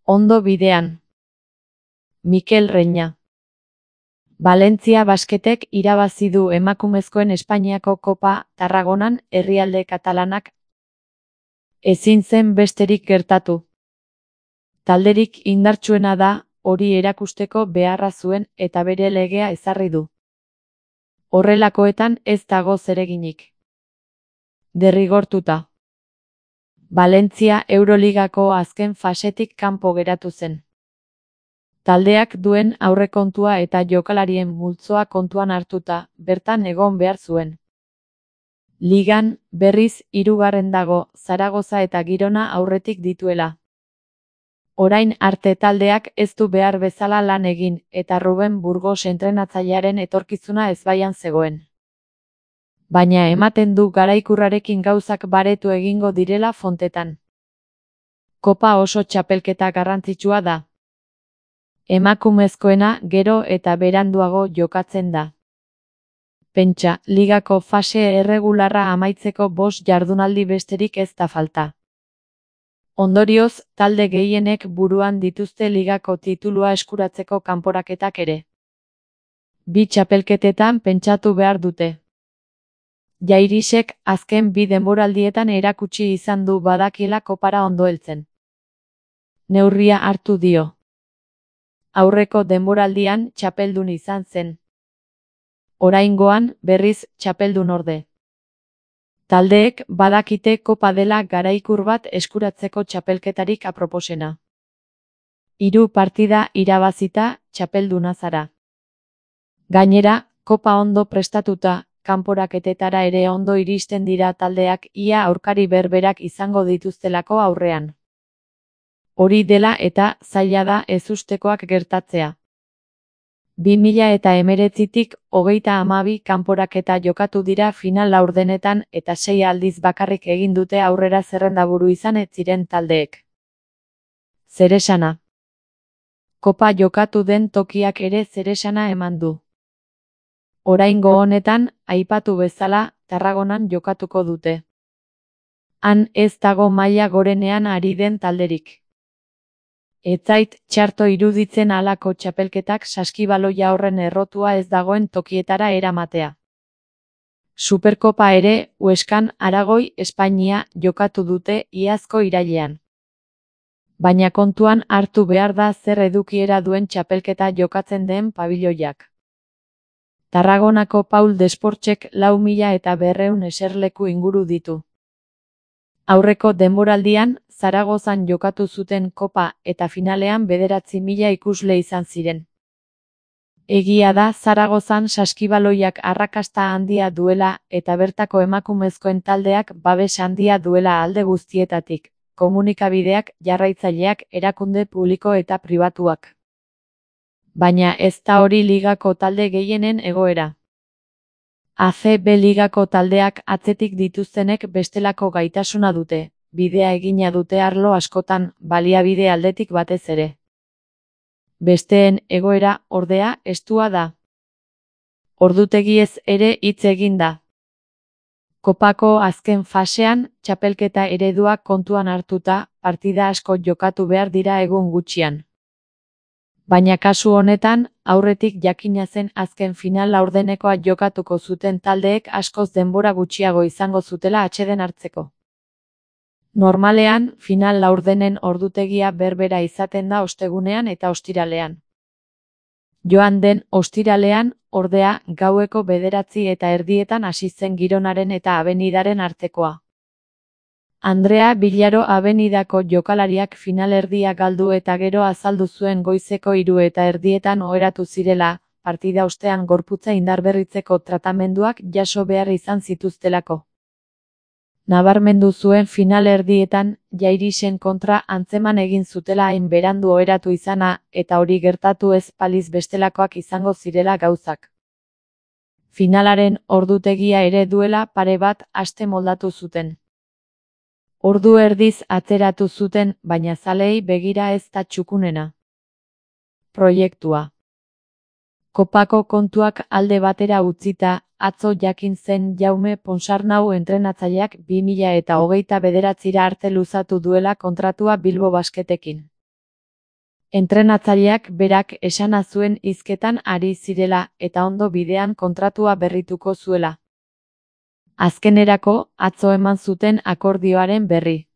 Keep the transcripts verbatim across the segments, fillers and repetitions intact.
Ondo bidean. Mikel Reña. Valentzia Basketek irabazi du emakumezkoen Espainiako Kopa Tarragonan herrialde katalanak. Ezin zen besterik gertatu. Talderik indartsuena da, hori erakusteko beharra zuen eta bere legea ezarri du. Horrelakoetan ez dago zereginik. Derrigortuta. Valentzia Euroligako azken fasetik kanpo geratu zen. Taldeak duen aurrekontua eta jokalarien multzoa kontuan hartuta, bertan egon behar zuen. Ligan, berriz, hirugarren dago, Zaragoza eta Girona aurretik dituela. Orain arte taldeak ez du behar bezala lan egin, eta Ruben Burgos entrenatzailearen etorkizuna ezbaian zegoen. Baina ematen du garaikurrarekin gauzak baretu egingo direla fontetan. Kopa oso txapelketa garrantzitsua da. Emakumezkoena gero eta beranduago jokatzen da. Pentsa, ligako fase erregularra amaitzeko bost jardunaldi besterik ez da falta. Ondorioz, talde gehienek buruan dituzte ligako titulua eskuratzeko kanporaketak ere. Bi txapelketetan pentsatu behar dute. Jairisek azken bi denboraldietan erakutsi izan du badakiela kopara ondo heltzen. Neurria hartu dio. Aurreko denboraldian txapeldun izan zen. Oraingoan, berriz, txapeldun orde. Taldeek badakite kopa dela garaikur bat eskuratzeko txapelketarik aproposena. Hiru partida irabazita, txapelduna zara. Gainera, kopa ondo prestatuta, kanporaketetara ere ondo iristen dira taldeak ia aurkari berberak izango dituztelako aurrean. Hori dela eta zaila da ezustekoak gertatzea. bi mila hemeretzitik hogeita hamabi kanporaketa jokatu dira final laurdenetan eta sei aldiz bakarrik egin dute aurrera zerrendaburu izan ez ziren taldeek. Zeresana. Kopa jokatu den tokiak ere zeresana eman du. Oraingo honetan, aipatu bezala, Tarragonan jokatuko dute. Han ez dago maila gorenean ari den talderik. Ez zait txarto iruditzen halako txapelketak saskibaloia horren errotua ez dagoen tokietara eramatea. Superkopa ere, Hueskan, Aragoi, Espainia, jokatu dute iazko irailean. Baina kontuan hartu behar da zer edukiera duen txapelketa jokatzen den pabiloiak. Tarragonako Paul Desportxek lau mila eta berreun eserleku inguru ditu. Aurreko denboraldian, Zaragozan jokatu zuten kopa eta finalean bederatzi mila ikusle izan ziren. Egia da Zaragozan saskibaloiak arrakasta handia duela eta bertako emakumezkoen taldeak babes handia duela alde guztietatik, komunikabideak, jarraitzaileak, erakunde publiko eta pribatuak. Baina ez da hori ligako talde gehienen egoera. A C B ligako taldeak atzetik dituztenek bestelako gaitasuna dute, bidea egina dute arlo askotan, baliabide aldetik batez ere. Besteen egoera, ordea, estua da. Ordutegiez ere hitz egin da. Kopako azken fasean, txapelketa ereduak kontuan hartuta, partida asko jokatu behar dira egun gutxian. Baina kasu honetan, aurretik jakina zen azken final laurdenekoa jokatuko zuten taldeek askoz denbora gutxiago izango zutela atseden hartzeko. Normalean, final laurdenen ordutegia berbera izaten da ostegunean eta ostiralean. Joan den ostiralean, ordea, gaueko bederatzi eta erdietan hasi zen Gironaren eta Abenidaren artekoa. Andrea Villaro Abenidako jokalariak finalerdia galdu eta gero azaldu zuen goizeko hiru eta erdietan oheratu zirela, partida ostean gorputza indarberritzeko tratamenduak jaso behar izan zituztelako. Nabarmendu zuen finalerdietan, Jairisen kontra antzeman egin zutela hain berandu oheratu izana, eta hori gertatu ez baliz bestelakoak izango zirela gauzak. Finalaren ordutegia ere duela pare bat aste moldatu zuten. Ordu erdiz atzeratu zuten, baina zaleei begira ez da txukunena. Proiektua. Kopako kontuak alde batera utzita, atzo jakin zen Jaume Ponsarnau entrenatzaileak bi mila eta hogeita bederatzira arte luzatu duela kontratua Bilbo Basketekin. Entrenatzaileak berak esana zuen hizketan ari zirela eta ondo bidean kontratua berrituko zuela. Azkenerako, atzo eman zuten akordioaren berri.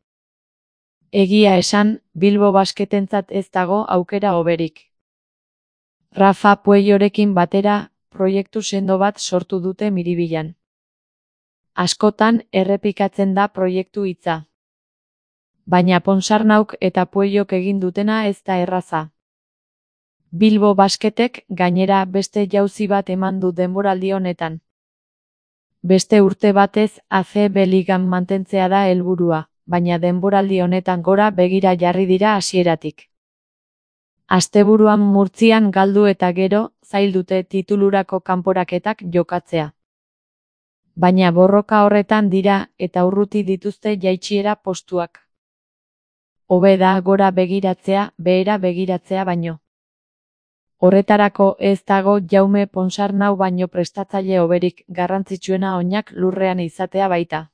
Egia esan, Bilbo Basketentzat ez dago aukera hoberik. Rafa Pueyorekin batera, proiektu sendo bat sortu dute Miribilan. Askotan errepikatzen da proiektu hitza. Baina Ponsarnauk eta Pueyok egin dutena ez da erraza. Bilbo Basketek gainera beste jauzi bat eman du denboraldi honetan. Beste urte batez A C B ligan mantentzea da helburua, baina denboraldi honetan gora begira jarri dira hasieratik. Asteburuan Murtzian galdu eta gero, zail dute titulurako kanporaketak jokatzea. Baina borroka horretan dira eta urruti dituzte jaitsiera postuak. Hobe da gora begiratzea, behera begiratzea baino. Horretarako ez dago Jaume Ponsarnau baino prestatzaile hoberik, garrantzitsuena oinak lurrean izatea baita.